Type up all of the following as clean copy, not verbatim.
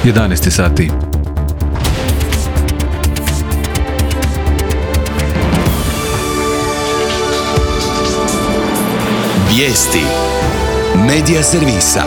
11 sati. Vijesti Medija servisa.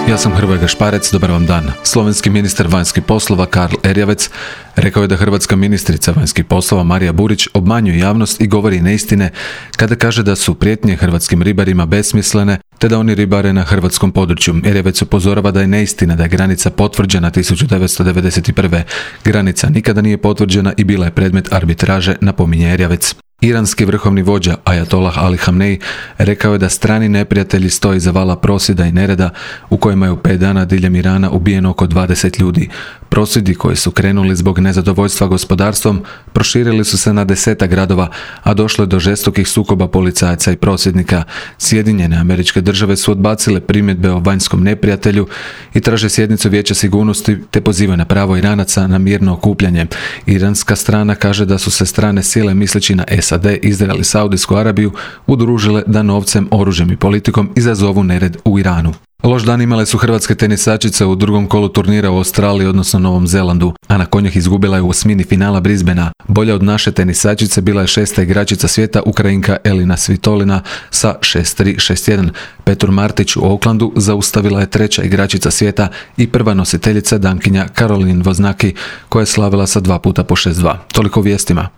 Ja sam Hrvoje Gašparec, dobar vam dan. Slovenski ministar vanjskih poslova Karl Erjavec rekao je da hrvatska ministrica vanjskih poslova Marija Burić obmanjuje javnost i govori neistine kada kaže da su prijetnje hrvatskim ribarima besmislene te da oni ribare na hrvatskom području. Erjavec upozorava da je neistina da je granica potvrđena 1991. Granica nikada nije potvrđena i bila je predmet arbitraže, napominje Erjavec. Iranski vrhovni vođa Ajatollah Ali Hamnej rekao je da strani neprijatelji stoje iza vala prosvjeda i nereda u kojima je u 5 dana diljem Irana ubijeno oko 20 ljudi. Prosvjedi koji su krenuli zbog nezadovoljstva gospodarstvom proširili su se na 10 gradova, a došlo je do žestokih sukoba policajaca i prosvjednika. Sjedinjene Američke Države su odbacile primjedbe o vanjskom neprijatelju i traže sjednicu Vijeća sigurnosti te pozivaju na pravo Iranaca na mirno okupljanje. Iranska strana kaže da su se strane sile misleći na SAD, Izrael i Saudijsku Arabiju udružile da novcem, oružjem i politikom izazovu nered u Iranu. Loš dan imale su hrvatske tenisačice u drugom kolu turnira u Australiji, odnosno Novom Zelandu. Ana Konjah izgubila je u osmini finala Brisbanea. Bolja od naše tenisačice bila je 6. igračica svijeta, Ukrajinka Elina Svitolina sa 6-3, 6-1. Petur Martić u Aucklandu zaustavila je 3. igračica svijeta i prva nositeljica Dankinja Caroline Wozniacki koja je slavila sa 2 puta po 6-2. Toliko vijestima.